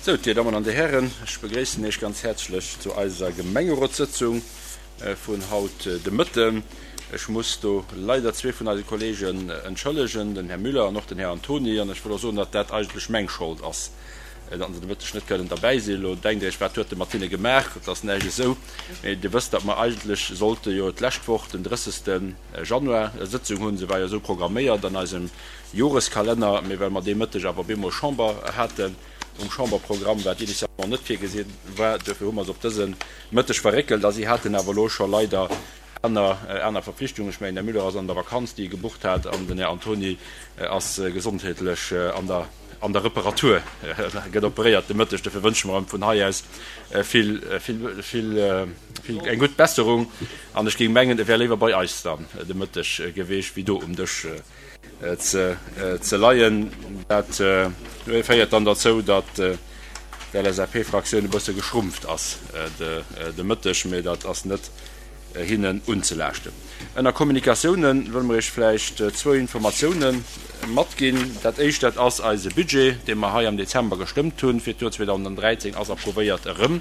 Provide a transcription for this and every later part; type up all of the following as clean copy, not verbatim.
Sou, Dir Dammen an Dir Hären, ech begréissen Iech ganz häerzlech zu eiser Gemengerotssëtzung vun haut de Mëtten. Ech muss do leider zwee vun eise Kollegen entschëllegen, den Här Müller an och den Här Antony. An ech wëll och soen, datt dat eigentlech meng Schold ass, datt se de Mëtteg net kënnen derbäi sinn. Elo denkt Dir Iech, Wat huet e mat hinne gemaach? Et ass näischt esou. Mee Dir wësst, datt mer eigentlech sollte jo d'lescht Woch, den 30. Januar, e Sëtzung hunn. Se war jo esou programméiert an eisem Joreskalenner. Mee well mer dee Mëtteg awer op eemol Chamber haten um Chamberprogramm, wat initialement net virgesi war, duerfir hu mer se op dëse Mëtteg verréckelt. A si haten awer elo scho leider aner aner Verpflichtungen. Ech mengen, den Här Müller ass an der Vakanz, déi e gebucht hat, an den Här Antony ass gesondheetlech an der an der Reparatur, gëtt operéiert de Mëtteg. Dofir wënsche mer em vun hei aus vill, vill, vill, vill eng gutt Besserung. An ech géing mengen, e wär léiwer bei eis dann de Mëtteg geweecht wéi do um Dësch ze leien. Dat féiert dann derzou, datt d'LSAP-Fraktioun e bësse geschrumpft ass de Mëtteg, mee dat ass net hinnen unzelaaschten. Ënner Kommunikatiounen wëlle mer Iech vläicht zwou Informatioune matginn. Dat éischt, dat ass eise Budget, dee mer hei am Dezember gestëmmt hunn fir d'Joer 2013, ass approuvéiert erëm,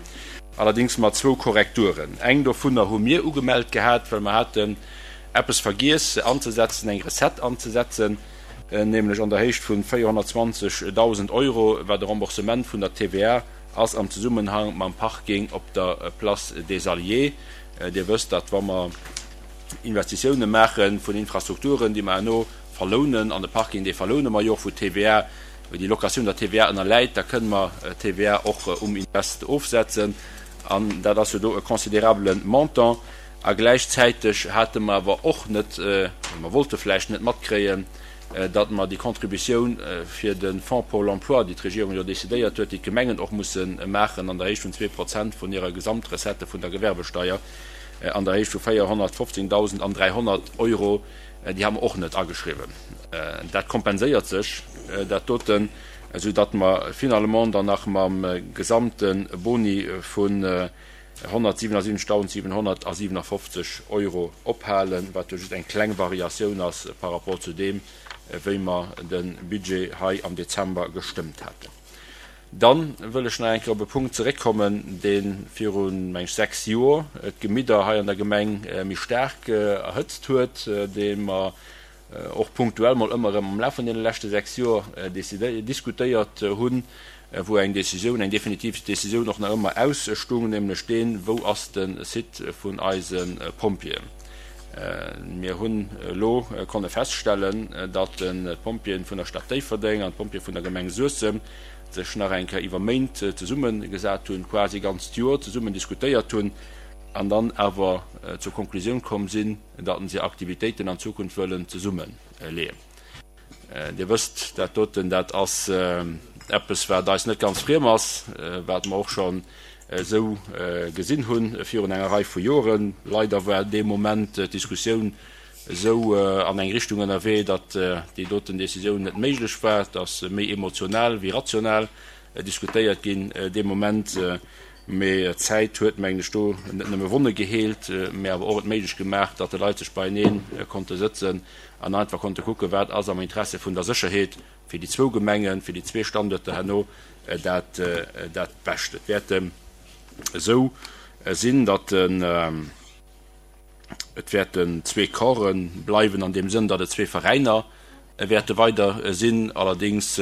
allerdéngs mat zwou Korrekturen. Eng dovunner hu mir ugemellt gehat, well mer haten eppes vergiess anzesetzen, eng Recette anzesetzen, nämlech an der Héicht vu 420.000 Euro, wat e Remboursement vun der TVA ass am Zesummenhang mam Parking op der Place des Alliés. Dir wësst, datt wa mer Investitioune maache vun Infrastrukturen, déi mer herno verlounen, an de Parking, dee verloune mer jo och, wou d'TVA, wou déi Locatioun der TVA ënnerläit, da kënne mer d'TVA och um Invest ofsetzen. An dat ass jo do e considerabele Montant. A gläichzäiteg hate mer awer och net, mer wollte vläicht net matkréien, datt mer déi Contributioun fir de Fonds pour l'emploi, déi d'Regierung jo decidéiert huet, déi d'Gemengen och musse maachen an der Héicht vun 2% vun hirer Gesamtrecette vun der Gewerbesteier, an der Héicht vu 415.300 Euro, déi ha mer och net ageschriwwen. Dat kompenséiert sech, dat doten, esou datt mer finalement dann nach mam gesamte Boni vun 177.757 Euro ophalen, wat jo just eng kleng Variatioun ass par rapport zu deem, wéi mer de Budget hei am Dezember gestëmmt haten. Da wëll ech nach eng Kéier op e Punkt zeréckkommen, dee viru, meng ech, 6 Joer d'Gemidder hei an der Gemeng méi staark erhëtzt huet, dee mer och punktuell mol ëmmer erëm am Laf vun deene leschte 6 Joer diskutéiert hunn, wou eng Décisioun, eng definitiv Décisioun och nach ëmmer ausstung, nämlech deen, Wou ass de Site vun eise Pompjeeën? Mir hunn elo konne feststellen, datt d'Pompjeeën vun der Stad Déifferdeng an d'Pompjeeë vun der Gemeng Suessem sech nach eng Kéier iwwer Méint zesummegesat hunn, quasi e ganzt Joer zesummen diskutéiert hunn an dann awer zur Konklusioun komm sinn, datt se Aktivitéiten an Zukunft wëllen zesummeleeën. Dir wësst, dat doten, dat ass eppes, wat eis net ganz friem ass, wat mer och schonn esou gesinn hu virun enger Rei vu Joren. Leider war dee Moment d'Diskussioun esou an eng Richtung ënnerwee, datt déi doten Décisioun net méiglech war. Et ass méi emotional wéi rational diskutéiert ginn dee Moment. Mee d'Zäit huet, mengen ech, do net nëmme Wonne geheelt, mee awer och et méiglech gemaach, datt de Leit sech beienee konnte sëtzen an einfach konnte kucken, wat ass am Interesse vun der Sécherheet fir déi zwou Gemengen, fir déi zwee Standuerter herno dat dat Bescht. Et wäert esou sinn, datt et wäerten zwee Corpse bleiwen an deem Sënn, datt et zwee Veräiner wäerte weider sinn. Allerdéngs,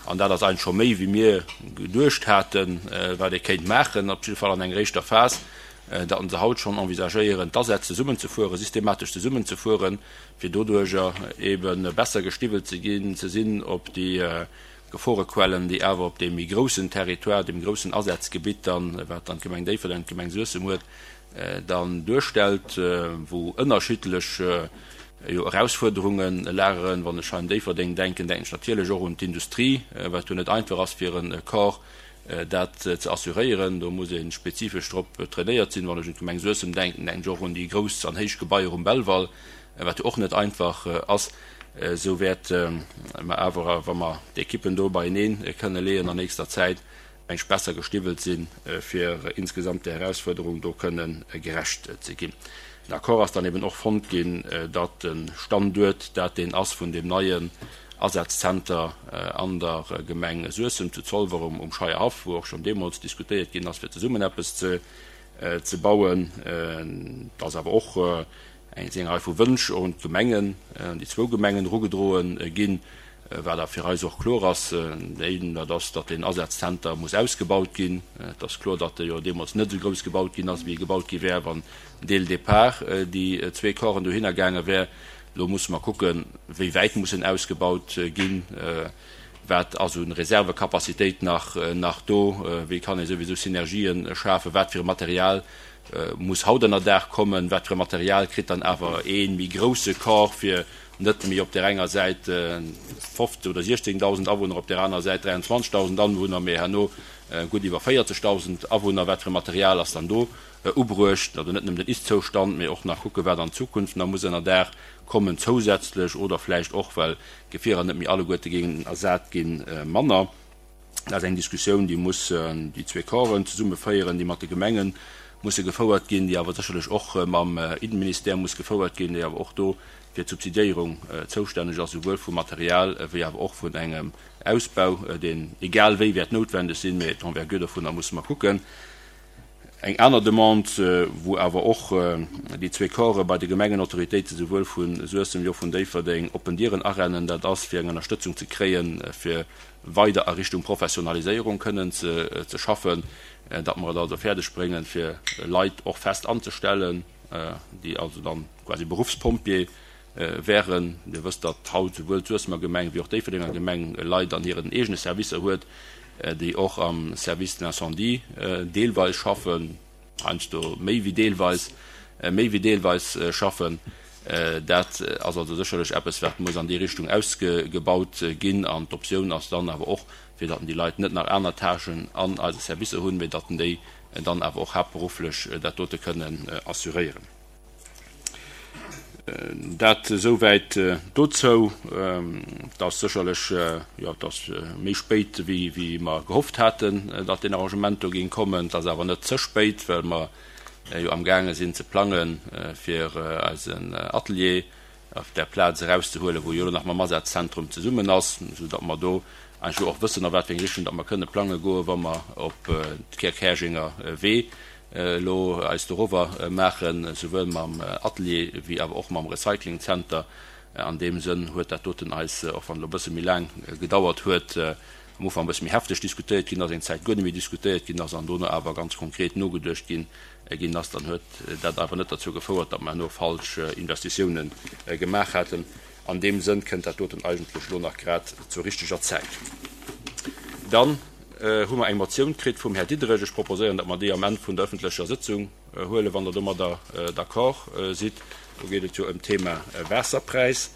an dat ass eigentlech scho méi wéi mir geduecht haten, wat ee kéint maachen, op jidde Fall an enger éischter Phas, datt se haut schonn envisagéieren, d'Asätz zesummenzefueren, systematesch zesummenzefueren, fir doduerjer ebe besser gestiwwelt ze ginn, ze sinn op déi Geforequellen, déi awer op deem méi groussen Territoire, deem groussen Asazgebitt dann, wat dann d'Gemeng Déifferdeng, d'Gemeng Suessem huet, dann duerstellt, wou ënnerschiddlech jo Erausfuerderunge lageren. Wann ech hei un Déifferdeng denken, denken ech natierlech och un d'Industrie, wat jo net einfach ass fir e Corps dat ze assuréieren. Do muss ee spezifesch drop trainéiert sinn. Wann ech un d'Gemeng Suessem denken, denken ech och un déi grouss an héich Gebaier um Belval, wat jo och net einfach ass. Esou wäerte mer awer, wa mer d'Ekippen do beienee kënne leeën an nächster Zäit, eng besser gestiwwelt sinn, fir insgesamt där Erausfuerderung do kënne gerecht ze ginn. Den Accord ass dann eben och fonnt ginn, datt de Standuert dat deen ass vun deem neien. Asazzenter an der Gemeng Suessem zu Zolwer um Scheierhaff, wou och schonn deemools diskutéiert ginn ass, fir zesummen eppes ze bauen. Et ass awer och eng eng Rei vu Wënsch och un d'Gemengen, un déi zwou Gemengen erugedroe ginn, wat awer fir eis och kloer ass, deen, dat ass, datt deen Asazzenter muss ausgebaut ginn. Et ass kloer, datt e jo deemools net esou grouss gebaut ginn ass, wéi e gebaut gi wär, wann dès le départ déi zwee Corpsen dohinner gaange wär. Elo musse mer kucken, wéi wäit muss en ausgebaut ginn, wat ass u Reservecapacitéit nach nach do, wéi kann ee souwisou Synergien schafen, wat fir e Material muss haut ënnerdaach kommen, wat fir e Material kritt dann awer ee méi grousse Corps, fir net méi op där enger Säit 15 oder 16.000 Awunner, op där anerer Säit 23.000 Anwunner, mee herno gutt iwwer 40.000 Awunner, wat fir e Material ass dann do ubruecht, also net nëmmen den Ist-Zoustand, mee och nach kucken, wat an Zukunft nach muss ënnerdaach kommen zousätzlech oder vläicht och, well d'Gefierer net méi alleguerte géingen ersat ginn, manner. Dat ass eng Diskussioun, déi muss déi zwee Corpsen zesumme féieren, déi mat de Gemenge musse gefouert ginn, déi awer sécherlech och mam Innenministère muss gefouert ginn, déi awer och do fir d'Subsidiéierung zoustänneg ass, souwuel vum Material wéi awer och vun engem Ausbau, deen egal wéi wäert noutwendeg sinn, mee d'Envergure dovunner musse mer kucken. Eng aner Demande, wou awer och déi zwee Corpse bei de Gemengenautoritéiten, souwuel vu Suessem wéi och vun Déifferdeng, oppen Dieren arennen, dat ass, fir eng Ënnerstëtzung ze kréien, fir weider a Richtung Professionaliséierung kënnen ze schaffen, datt mer et also fäerdeg bréngen, fir Leit och fest anzestellen, déi also dann quasi Beruffspompjee wären. Dir wësst, datt haut souwuel d'Suessemer Gemeng wéi och d'Déifferdenger Gemeng Leit an hiren eegene Servicer huet, déi och am Service de l'incendie deelweis schaffen, heiansdo méi wéi deelweis, méi wéi deelweis schaffen. Dat ass also sécherlech eppes, wat muss an déi Richtung ausgebaut ginn. An d'Optioun ass dann awer och, fir datt déi Leit net nach aner Tâchen an eise Servicer hunn, mee datt déi dann awer och haaptberufflech dat dote kënnen assuréieren. Dat esouwäit dozou. Et ass sécherlech, jo, et ass méi spéit, wéi mer gehofft haten, datt deen Arrangement do géing kommen. Et ass awer net ze spéit, well mer jo amgaange sinn ze plangen, fir eisen Atelier op där Plaz erauszehuelen, wou jo elo nach mam Asazentrum zesummen ass, esou datt mer do eigentlech elo och wëssen, a wat fir eng Richtung datt mer kënne plange goen, wa mer op d'Käerjenger Wee elo eis dorower maachen, souwuel mam Atelier wéi awer och mam Recyclingzenter. An deem Sënn huet dat doten eis, och wann et elo e bësse méi laang gedauert huet, am Ufank e bësse méi hefteg diskutéiert ginn ass, eng Zäit guer net méi diskutéiert ginn ass an dono awer ganz konkret nogeduecht ginn ginn ass, dann huet dat awer net derzou gefouert, datt mer herno falsch Investitiounen gemaach hätten. An deem Sënn kënnt dat doten eigentlech elo nach grad zur richteger Zäit. Dann hu mer eng Motioun kritt vum Här Diderich. Ech proposéieren, datt mer déi am Enn vun der öffentlecher Sëtzung huelen, wann Der domadder d'accord sidd. Do geet et jo ëm d'Thema Waasserpräis.